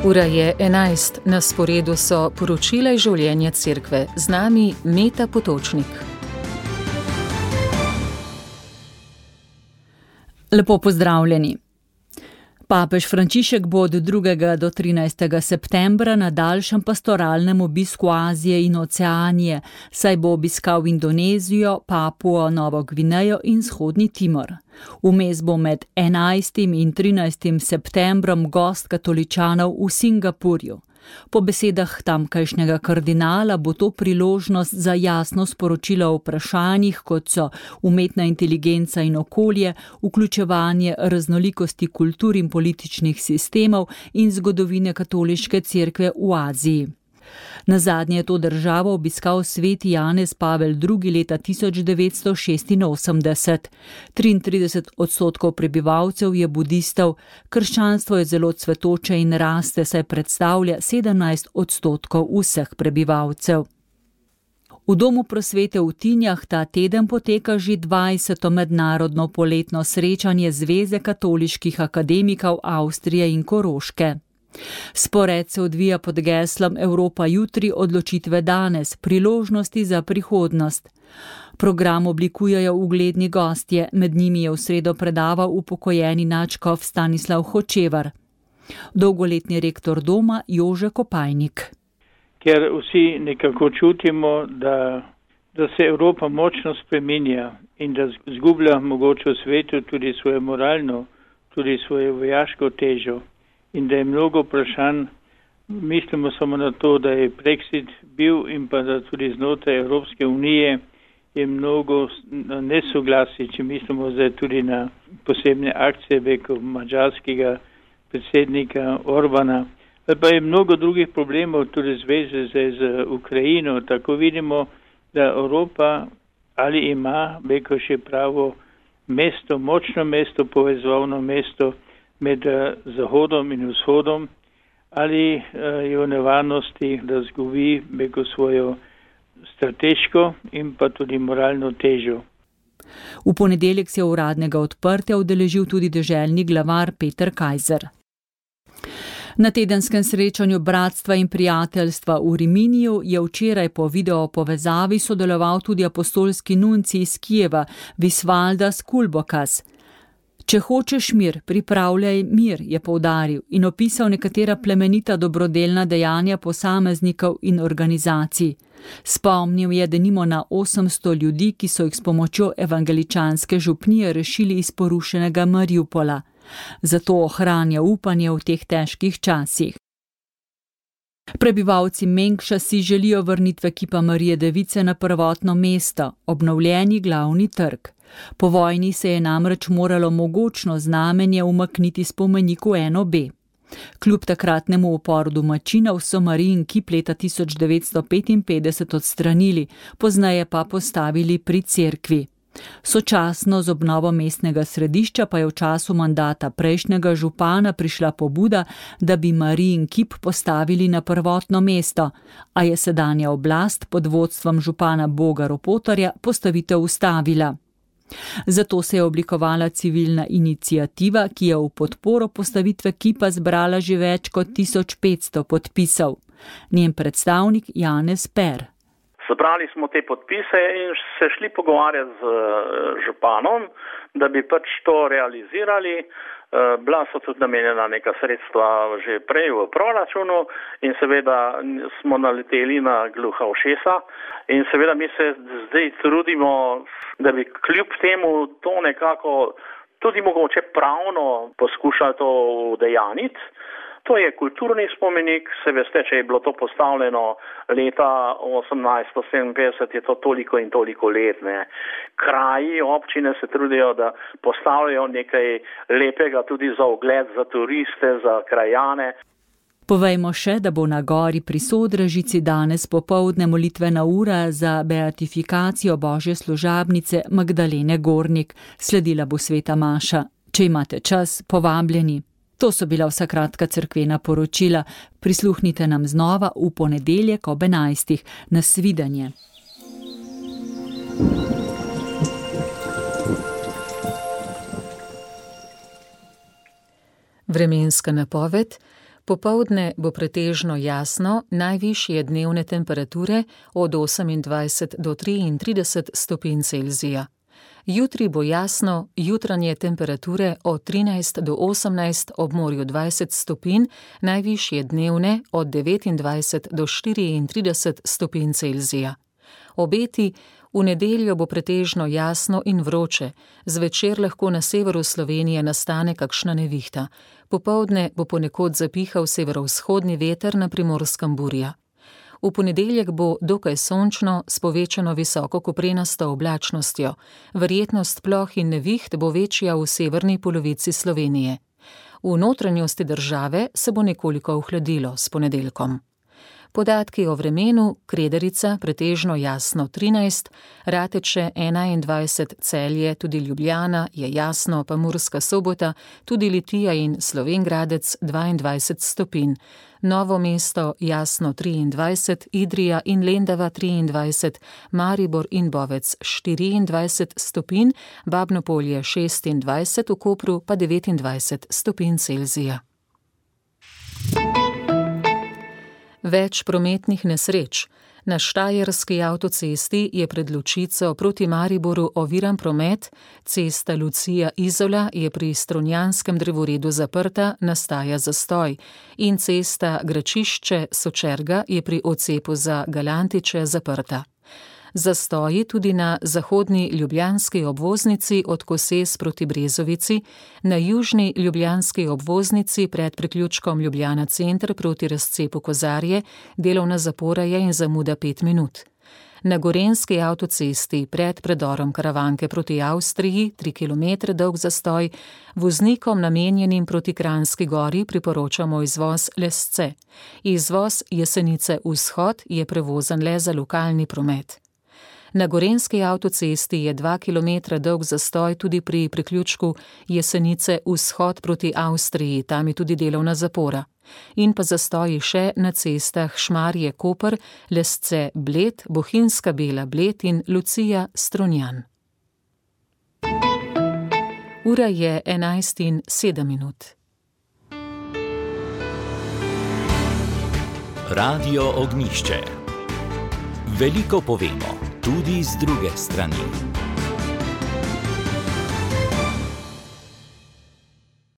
Ura je 11, na sporedu so poročila iz življenja cerkve. Z nami Meta Potočnik. Lepo pozdravljeni. Papež Frančišek bo od 2. do 13. septembra na daljšem pastoralnem obisku Azije in Oceanije, saj bo obiskal Indonezijo, Papuo Novo Gvinejo in Vzhodni Timor. Vmes bo med 11. in 13. septembrom gost katoličanov v Singapurju. Po besedah tamkajšnjega kardinala bo to priložnost za jasno sporočilo o vprašanjih, kot so umetna inteligenca in okolje, vključevanje raznolikosti kultur in političnih sistemov in zgodovine katoliške cerkve v Aziji. Nazadnje je to državo obiskal sveti Janez Pavel II. Leta 1986. 33% prebivalcev je budistov, krščanstvo je zelo cvetoče in raste, saj predstavlja 17% vseh prebivalcev. V Domu prosvete v Tinjah ta teden poteka že 20. mednarodno poletno srečanje Zveze katoliških akademikov Avstrije in Koroške. Spored se odvija pod geslom Evropa jutri, odločitve danes, priložnosti za prihodnost. Program oblikujejo ugledni gostje, med njimi je v sredo predaval upokojeni nadškof Stanislav Hočevar. Dolgoletni rektor doma Jože Kopajnik. Ker vsi nekako čutimo, da se Evropa močno spreminja in da zgublja mogoče v svetu tudi svoje moralno, tudi svojo vojaško težo. In da je mnogo vprašanj, mislimo samo na to, da je Brexit bil in pa da tudi znotraj Evropske unije je mnogo nesoglasij, če mislimo zdaj tudi na posebne akcije preko mađarskega predsednika Orbana. Pa je mnogo drugih problemov tudi zveze z Ukrajino. Tako vidimo, da Evropa ali ima preko še pravo mesto, močno mesto, povezovalno mesto med Zahodom in Vzhodom, ali je v nevarnosti, da zgubi preko svojo strateško in pa tudi moralno težo. V ponedeljek se je uradnega odprtja udeležil tudi deželni glavar Peter Kajzer. Na tedenskem srečanju Bratstva in prijateljstva v Riminiju je včeraj po video povezavi sodeloval tudi apostolski nuncij iz Kijeva, Visvaldas Kulbokas. Če hočeš mir, pripravljaj mir, je poudaril in opisal nekatera plemenita dobrodelna dejanja posameznikov in organizacij. Spomnil je denimo na 800 ljudi, ki so jih s pomočjo evangeličanske župnije rešili iz porušenega Mariupola. Zato ohranja upanje v teh težkih časih. Prebivalci Mengša si želijo vrnitve kipa Marije Device na prvotno mesto, obnovljeni glavni trg. Po vojni se je namreč moralo mogočno znamenje umakniti spomeniku NOB. Kljub takratnemu uporu domačinov so Marijin kip leta 1955 odstranili, pozneje pa postavili pri cerkvi. Sočasno z obnovo mestnega središča pa je v času mandata prejšnjega župana prišla pobuda, da bi Marijin kip postavili na prvotno mesto, a je sedanja oblast pod vodstvom župana Boga Ropotarja postavitev ustavila. Zato se je oblikovala civilna iniciativa, ki je v podporo postavitve kipa zbrala že več kot 1500 podpisov. Njen predstavnik Janez Per. Zbrali smo te podpise in se šli pogovarjati z županom, da bi pač to realizirali. Bila so tudi namenjena neka sredstva že prej v proračunu in seveda smo naleteli na gluha ušesa in seveda mi se zdaj trudimo, da bi kljub temu to nekako tudi mogoče pravno poskušali to udejaniti. To je kulturni spomenik, se veste, če je bilo to postavljeno leta 1857, je to toliko in toliko let. Kraji, občine se trudijo, da postavljajo nekaj lepega tudi za ogled, za turiste, za krajane. Povejmo še, da bo na gori pri Sodražici danes popoldne molitvena ura za beatifikacijo Božje služabnice Magdalene Gornik. Sledila bo sveta maša. Če imate čas, povabljeni. To so bila vsa kratka cerkvena poročila. Prisluhnite nam znova v ponedeljek ob 11. Nasvidenje. Vremenska napoved. Popoldne bo pretežno jasno, najvišje dnevne temperature od 28 do 33 stopinj Celzija. Jutri bo jasno, jutranje temperature od 13 do 18, ob morju 20 stopinj, najvišje dnevne od 29 do 34 stopinj Celzija. Obeti: v nedeljo bo pretežno jasno in vroče, zvečer lahko na severu Slovenije nastane kakšna nevihta. Popoldne bo ponekod zapihal severovzhodni veter, na Primorskem burja. V ponedeljek bo dokaj sončno s povečano visokokoprenasto oblačnostjo. Verjetnost ploh in neviht bo večja v severni polovici Slovenije. V notranjosti države se bo nekoliko ohladilo s ponedeljkom. Podatki o vremenu: Kredarica pretežno jasno 13, Rateče 21, Celje, tudi Ljubljana je jasno, pa Murska Sobota, tudi Litija in Slovenj Gradec 22 stopinj. Novo mesto jasno 23, Idrija in Lendava 23, Maribor in Bovec 24 stopinj, Babno Polje 26, v Kopru pa 29 stopinj Celzija. Več prometnih nesreč. Na Štajerski avtocesti je pred Lučico proti Mariboru oviran promet, cesta Lucija-Izola je pri Strunjanskem drevoredu zaprta, nastaja zastoj, in cesta Gračišče-Sočerga je pri odcepu za Galantiče zaprta. Zastoji tudi na zahodni ljubljanski obvoznici od Koses proti Brezovici, na južni ljubljanski obvoznici pred priključkom Ljubljana center proti razcepu Kozarje, delovna zapora je in zamuda 5 minut. Na Gorenjski avtocesti pred predorom Karavanke proti Avstriji 3 km dolg zastoj, voznikom namenjenim proti Kranjski Gori priporočamo izvoz Lesce. Izvoz Jesenice vzhod je prevozen le za lokalni promet. Na Gorenjski avtocesti je 2 km dolg zastoj tudi pri priključku Jesenice vzhod proti Avstriji, tam je tudi delovna zapora. In pa zastoji še na cestah Šmarje-Koper, Lesce-Bled, Bohinjska-Bela-Bled in Lucija-Strunjan. Ura je 11:07. Radio Ognjišče. Veliko povemo, tudi z druge strani.